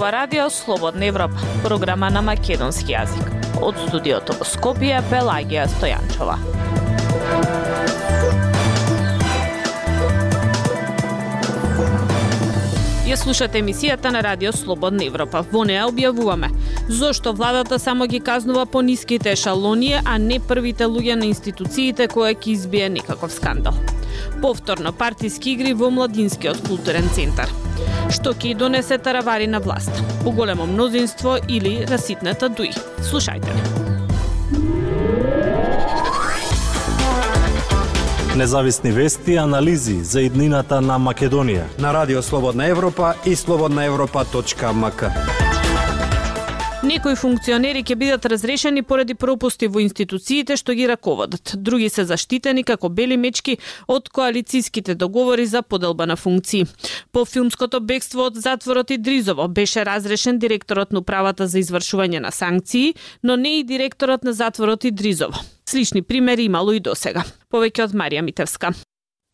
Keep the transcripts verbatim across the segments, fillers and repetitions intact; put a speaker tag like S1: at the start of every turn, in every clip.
S1: ова радио Слободна Европа, програма на македонски јазик. Од студиото во Скопје, Пелагија Стојанчова. Ја слушате емисијата на радио Слободна Европа. Во неа објавуваме зошто владата само ги казнува по ниските ешалони, а не првите луѓе на институциите кои ќе избие некаков скандал. Повторно партиски игри во Младинскиот културен центар. Што ќе донесе таравари на власт? Поголемо мнозинство или раситната дуи? Слушајте не.
S2: Независни вести и анализи за иднината на Македонија
S3: на радио Слободна Европа и слободна европа точка ем ка.
S1: Некои функционери ќе бидат разрешени поради пропусти во институциите што ги раководат. Други се заштитени како бели мечки од коалицијските договори за поделба на функции. По филмското бегство од затворот Идризово беше разрешен директорот на управата за извршување на санкции, но не и директорот на затворот Идризово. Слични примери имало и досега. Повеќе од Марија Митевска.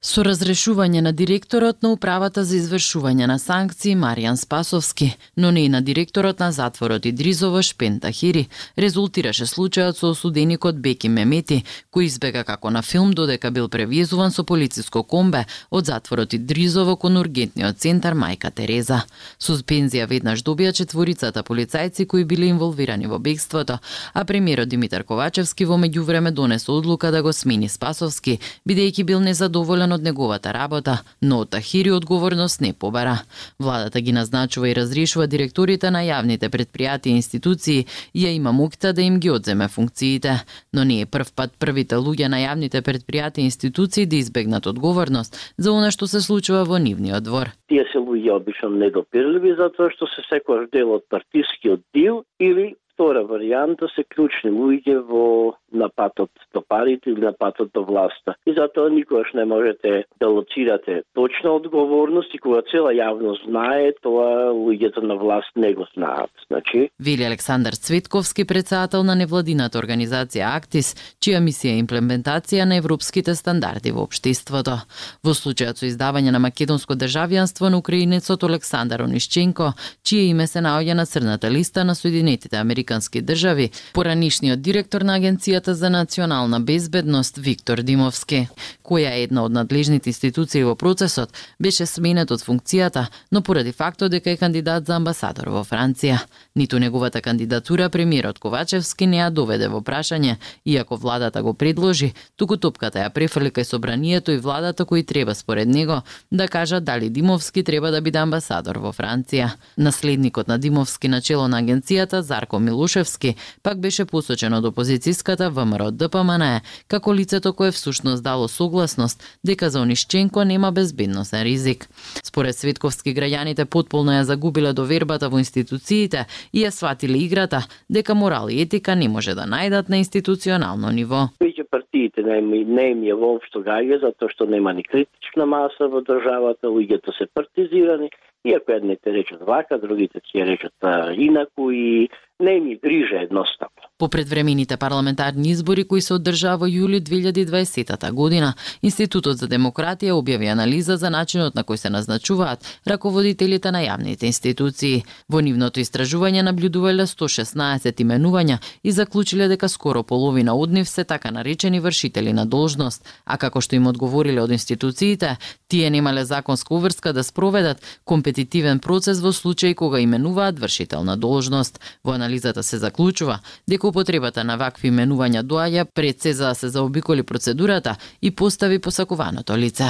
S4: Со разрешување на директорот на управата за извршување на санкции Маријан Спасовски, но не и на директорот на затворот Идризово Шпен Тахири, резултираше случајот со осуденикот Беки Мемети, кој избега како на филм додека бил превезуван со полициско комбе од затворот Идризово кон ургентниот центар Мајка Тереза. Суспензија веднаш добија четворицата полицајци кои биле инволвирани во бегството, а премиерот Димитар Ковачевски во меѓувреме донесе одлука да го смени Спасовски, бидејќи бил незадоволен од неговата работа, но од Тахири одговорност не побара. Владата ги назначува и разрешува директорите на јавните предпријатија и институции и ја има моќта да им ги одземе функциите. Но не е прв пат првите луѓе на јавните предпријатија и институции да избегнат одговорност за она што се случува во нивниот двор.
S5: Тие се луѓе обично недопирливи затоа што се секојаш дел од партискиот дил или втора варијанта се клучни луѓе во напатот до парите или напатот до власта. И затоа никогаш не можете да лоцирате точна одговорност и кога цела јавност знае, тоа луѓето на власт не го знаат. Значи,
S4: вели Александар Цветковски, председател на невладината организација Актис, чија мисија е имплементација на европските стандарди во општеството. Во случајот со издавање на македонско државјанство на украинецот Александар Онишченко, чие име се наоѓа на црната листа на Соединетите Американски држави, поранишниот директор на Агенцијата за национална безбедност Виктор Димовски, која е една од надлежните институции во процесот, беше сменет од функцијата, но поради фактот дека е кандидат за амбасадор во Франција. Ниту неговата кандидатура премиерот Ковачевски не ја доведе во прашање, иако владата го предложи, туку топката ја префрли кај собранието и владата кои треба според него да кажат дали Димовски треба да биде амбасадор во Франција. Наследникот на Димовски на чело на агенцијата Зарко Милушевски пак беше посочен од опозицијската ВМРО Д П М Н Е како лицето кое всушност дало согласност дека за Онишченко нема безбедносен ризик. Според Светковски, граѓаните потполно ја загубиле довербата во институциите и ја сватиле играта дека морал и етика не може да најдат на институционално ниво.
S5: Веќе партиите не им е воопшто гаѓа затоа што нема ни критична маса во државата, луѓето се партизирани. Иако едните речат вака, другите ќе речат инаку и не ми грижа едноставно.
S4: По предвремените парламентарни избори кои се одржаа во јули две илјади и дваесета година, Институтот за демократија објави анализа за начинот на кој се назначуваат раководителите на јавните институции. Во нивното истражување наблюдувале сто шеснаесет именувања и заклучиле дека скоро половина од нив се така наречени вршители на должност, а како што им одговориле од институциите, тие немале законска уврска да спроведат компетитивен процес во случај кога именуваат вршител на должност. Во анализата се заклучува дека употребата на вакви именувања доаѓа пред се за да се заобиколи процедурата и постави посакуваното лице.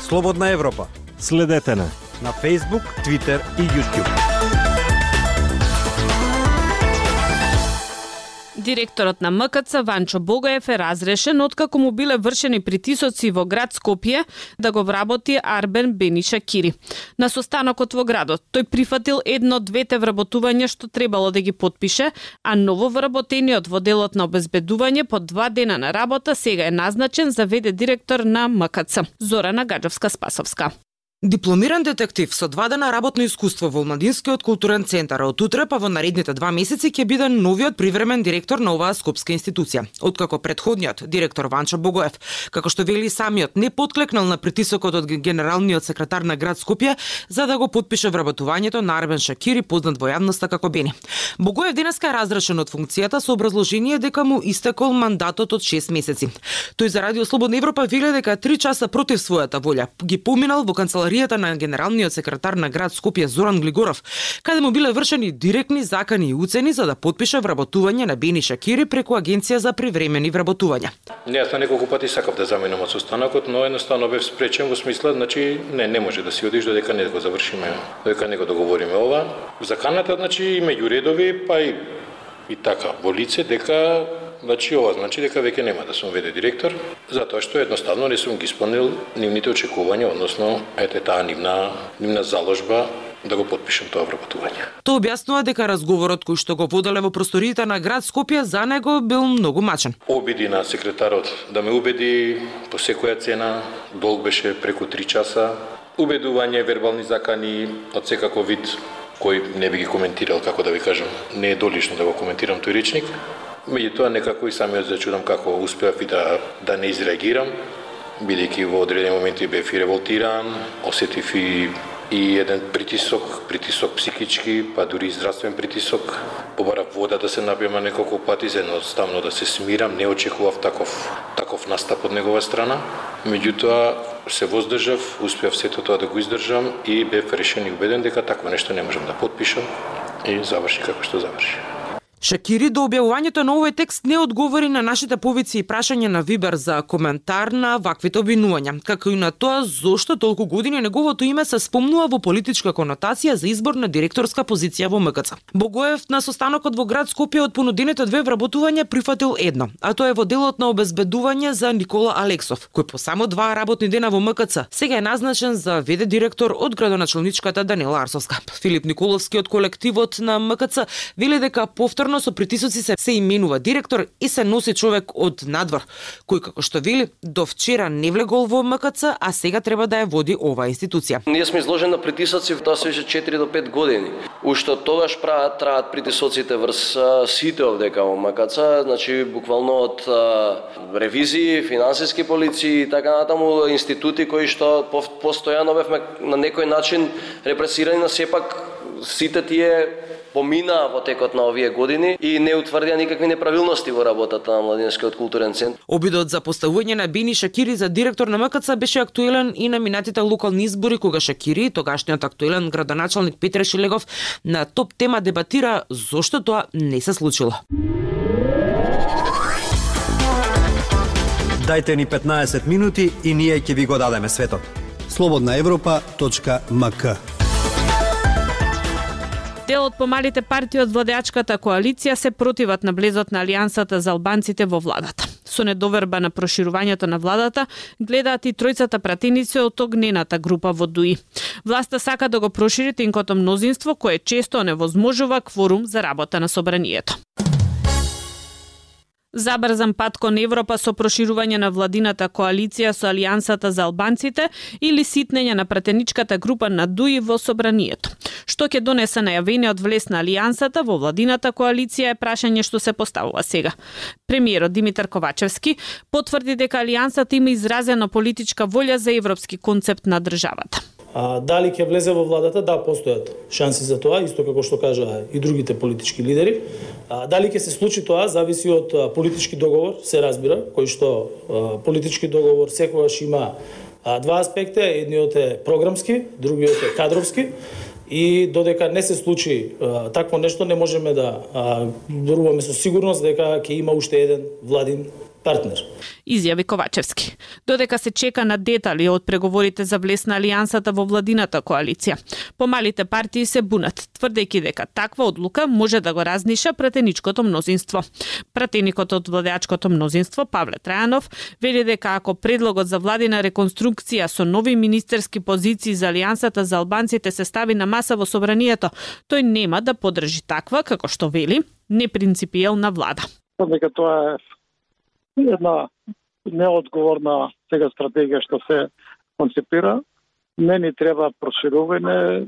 S3: Слободна Европа.
S2: Следете на
S3: на Facebook, Twitter и YouTube.
S1: Директорот на М К Ц Ванчо Богаев е разрешен откако му биле вршени притисоци во град Скопје да го вработи Арбен Бениша Кири. На состанокот во градот тој прифатил едно од двете вработувања што требало да ги потпише, а ново вработениот во делот на обезбедување по два дена на работа сега е назначен за вд директор на М К Ц. Зорана Гаджовска-Спасовска.
S6: Дипломиран детектив со два дена работно искуство во Младинскиот културен центар, од утре па во наредните два месеци ќе биде новиот привремен директор на оваа скопска институција. Откако претходниот директор Ванчо Богоев, како што вели самиот, не потклекнал на притисокот од генералниот секретар на град Скопје за да го потпише вработувањето на Арбен Шакири, познат во јавноста како Бени. Богоев денеска е разрешен од функцијата со образложение дека му истекол мандатот од шест месеци. Тој за Радио Слободна Европа вели дека три часа против својата волја ги поминал во канцеларијата на генералниот секретар на град Скопје Зоран Глигоров, каде му биле вршени директни закани и уцени за да потпише вработување на Бени Шакири преку Агенција за привремени вработувања.
S7: Не, јас на неколку пати сакав да заменам од состанокот, но едноставно бев спречен во смисла, значи не не може да си одиш додека не го завршиме, додека не го договориме ова. Заканата, значи и меѓу редови, па и и така во лице дека значи ова значи дека веќе нема да сум вд директор, затоа што едноставно не сум ги исполнил нивните очекувања, односно ете таа нивна нивна заложба да го потпишам тоа вработување.
S6: Тоа објаснува дека разговорот кој што го воделе во просториите на град Скопје за него бил многу мачен.
S7: Обиди на секретарот да ме убеди по секоја цена, долг беше преку три часа, убедување, вербални закани од секаков вид кој не би ги коментирал, како да ви кажам, не е долично да го коментирам тој речник. Меѓутоа некако и самиот зачудам како успеав и да да не изреагирам, бидејќи во одредени моменти бев и револтиран, осетив и и еден притисок, притисок психички, па дури и здравствен притисок. Побарав вода да се напијам неколку пати, за едноставно да се смирам, не очекував таков таков настап од негова страна. Меѓутоа се воздржав, успеав сето тоа да го издржам и бев решен и убеден дека такво нешто не можам да потпишам и заврши како што заврши.
S6: Шакири до објавувањето на овој текст не одговори на нашите повици и прашања на Вибер за коментар на ваквите обвинувања, како и на тоа зошто толку години неговото име се спомнува во политичка конотација за избор на директорска позиција во М К Ц. Богоев на состанокот во град Скопје од понудените две вработувања прифатил едно, а тоа е во делот на обезбедување за Никола Алексов, кој по само два работни дена во М К Ц сега е назначен за вд директор од градоначалничката Данила Арсовска. Филип Николовски од колективот на М К Ц вели дека повторно со притисоци се, се именува директор и се носи човек од надвор, кој како што вели до вчера не влегол во М К Ц, а сега треба да ја води оваа институција.
S8: Ние сме изложени на притисоци, тоа се више четири до пет години. Уште од тогаш прават траат притисоците врз сите овдека во М К Ц, значи буквално од а, ревизии, финансиски полиции и така натаму институти кои што постојано бевме на некој начин репресирани, на сепак сите тие помина во текот на овие години и не утврдија никакви неправилности во работата на Младинскиот културен центар.
S6: Обидот за поставување на Бени Шакири за директор на М К Ц беше актуелен и на минатите локални избори, кога Шакири, тогашниот актуелен градоначалник Петре Шилегов, на топ тема дебатира зошто тоа не се случило.
S3: Дајте ни петнаесет минути и ние ќе ви го дадеме светот. слободна европа точка м к.
S1: Дел од помалите партии од владеачката коалиција се противат на влезот на Алијансата за албанците во владата. Со недоверба на проширувањето на владата гледаат и тројцата пратеници од огнената група во ДУИ. Власта сака да го прошири тенкото мнозинство кое често невозможува кворум за работа на собранието. Забрзан пат кон Европа со проширување на владината коалиција со Алијансата за албанците или ситнење на пратеничката група на ДУИ во собранието. Што ќе донесе најавениот влез на Алијансата во владината коалиција е прашање што се поставува сега. Премиерот Димитар Ковачевски потврди дека Алијансата има изразена политичка волја за европски концепт на државата.
S9: А, дали ќе влезе во владата? Да, постојат шанси за тоа, исто како што кажа и другите политички лидери. А, дали ќе се случи тоа, зависи од а, политички договор, се разбира, кој што а, политички договор секогаш има а, два аспекта, едниот е програмски, другиот е кадровски. И додека не се случи а, такво нешто, не можеме да зборуваме со сигурност дека ќе има уште еден владин партнер.
S1: Изјави Ковачевски. Додека се чека на детали од преговорите за влез на Алијансата во владината коалиција, помалите партии се бунат, тврдејќи дека таква одлука може да го разниша пратеничкото мнозинство. Пратеникот од владеачкото мнозинство, Павле Трајанов, вели дека ако предлогот за владина реконструкција со нови министерски позиции за Алијансата за албанците се стави на маса во собранието, тој нема да поддржи таква, како што вели, непринципиелна влада.
S10: Дека тоа е една неодговорна сега стратегија што се концепира не ни треба проширување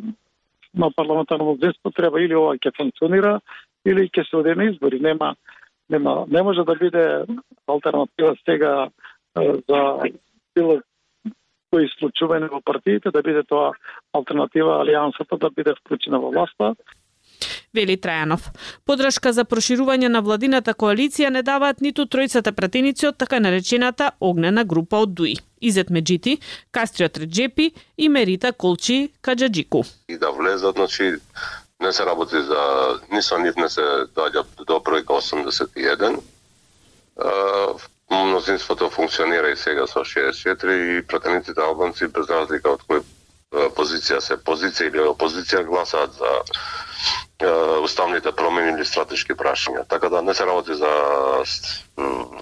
S10: на парламентарно мнозинство, треба или ова ќе функционира, или ќе се оде на избори. Нема, нема, не може да биде алтернатива сега за било кои случување во партиите, да биде тоа алтернатива алијансата да биде вклучена во власта.
S1: Вели Трајанов. Подршка за проширување на владината коалиција не даваат ниту тројцата пратеници од така наречената огнена група од ДУИ. Изет Меджити, Кастриот Реджепи и Мерита Колчи Каджаджику.
S11: И да влезат, значи, не се работи за... Ни со нив не се доаѓа до бројка осумдесет и еден. Мнозинството функционира и сега со шеесет и четири и пратениците албанци без разлика од кој позиција се позиција или опозиција гласаат за уставните промени или стратешки прашања. Така да не се работи за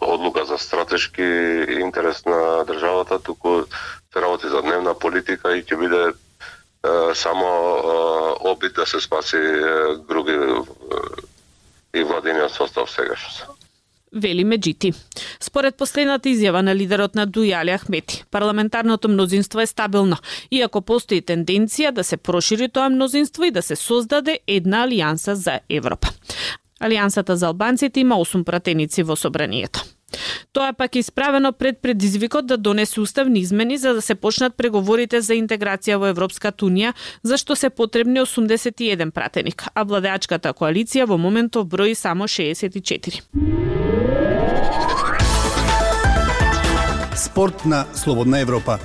S11: одлука за стратешки интерес на државата, туку се работи за дневна политика и ќе биде само обид да се спаси груби и владиниот состав сегашно.
S1: Вели Меджити. Според последната изјава на лидерот на ДУИ Али Ахмети, парламентарното мнозинство е стабилно, иако постои тенденција да се прошири тоа мнозинство и да се создаде една алијанса за Европа. Алијансата за албанците има осум пратеници во собранието. Тоа пак е исправено пред предизвикот да донесе уставни измени за да се почнат преговорите за интеграција во Европската унија, за што се потребни осумдесет и еден пратеник, а владеачката коалиција во моментов брои само шеесет и четири.
S3: Спорт на Слободна Европа.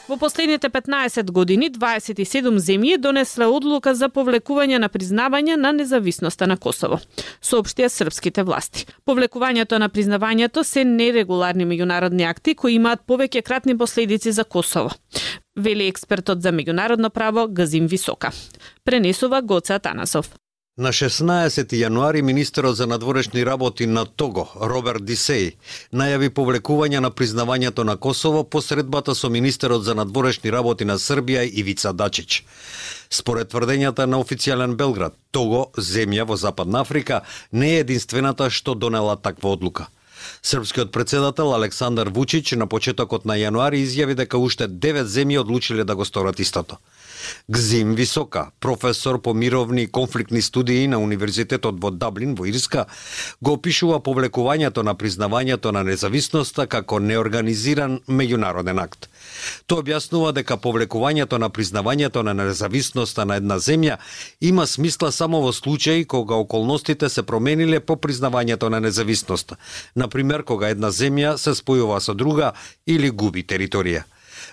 S1: Во последните петнаесет години дваесет и седум земји донесле одлука за повлекување на признавање на независноста на Косово, соопштија српските власти. Повлекувањето на признавањето се нерегуларни меѓународни акти кои имаат повеќе кратни последици за Косово, вели експертот за меѓународно право Газим Висока. Пренесува Гоце Атанасов.
S3: На шеснаесети јануари министерот за надворешни работи на Того, Роберт Дисеј, најави повлекување на признавањето на Косово по средбата со министерот за надворешни работи на Србија Ивица Дачич. Според тврдењата на официјален Белград, Того, земја во Западна Африка, не е единствената што донела таква одлука. Српскиот председател Александар Вучич на почетокот на јануари изјави дека уште девет земји одлучиле да го сторат истото. Гзим Висока, професор по мировни и конфликтни студии на Универзитетот во Даблин во Ирска, го опишува повлекувањето на признавањето на независноста како неорганизиран меѓународен акт. Тој објаснува дека повлекувањето на признавањето на независноста на една земја има смисла само во случаи кога околностите се промениле по признавањето на независноста, например кога една земја се спојува со друга или губи територија.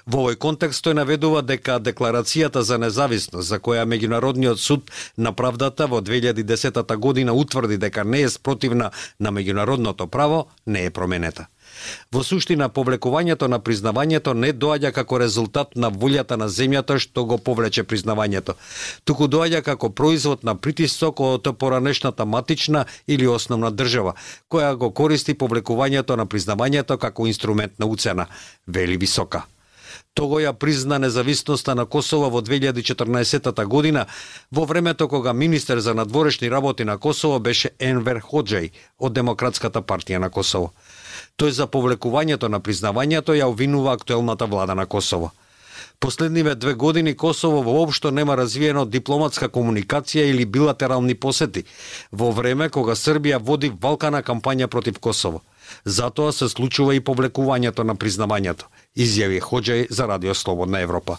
S3: Во овој контекст тој наведува дека декларацијата за независност, за која Меѓународниот суд на правдата во две илјади и десета година утврди дека не е спротивна на меѓународното право, не е променета. Во суштина, повлекувањето на признавањето не доаѓа како резултат на волјата на земјата што го повлече признавањето, туку доаѓа како производ на притисок од поранешната матична или основна држава, која го користи повлекувањето на признавањето како инструмент на уцена, вели Висока. Того ја призна независноста на Косово во две илјади и четрнаесета година, во времето кога министер за надворешни работи на Косово беше Енвер Ходжај од Демократската партија на Косово. Тој за повлекувањето на признавањето ја обвинува актуелната влада на Косово. Последниве две години Косово воопшто нема развиено дипломатска комуникација или билатерални посети, во време кога Србија води валкана кампања против Косово. Затоа се случува и повлекувањето на признавањето, изјави Ходжај за Радио Слободна Европа.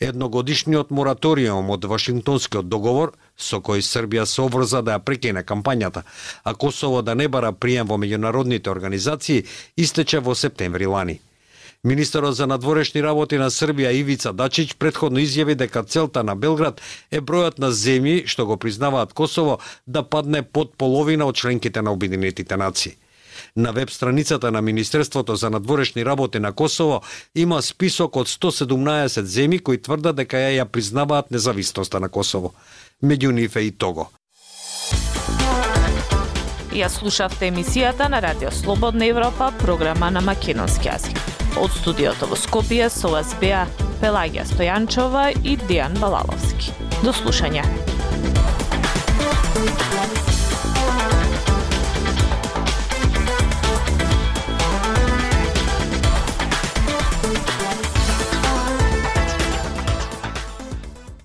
S3: Едногодишниот мораториум од Вашингтонскиот договор, со кој Србија се обврза да ја прекине кампањата, а Косово да не бара прием во меѓународните организации, истече во септември лани. Министерот за надворешни работи на Србија Ивица Дачич претходно изјави дека целта на Белград е бројот на земји што го признаваат Косово да падне под половина од членките на Обединетите нации. На веб страницата на Министерството за надворешни работи на Косово има список од сто седумнаесет земји кои тврдат дека ја ја признаваат независноста на Косово. Меѓу нив е и Того.
S1: Ја слушавте емисијата на Радио Слободна Европа, програма на македонски јазик. Од студиото во Скопје со вас беа Пелагија Стојанчова и Дејан Балаловски. До слушање.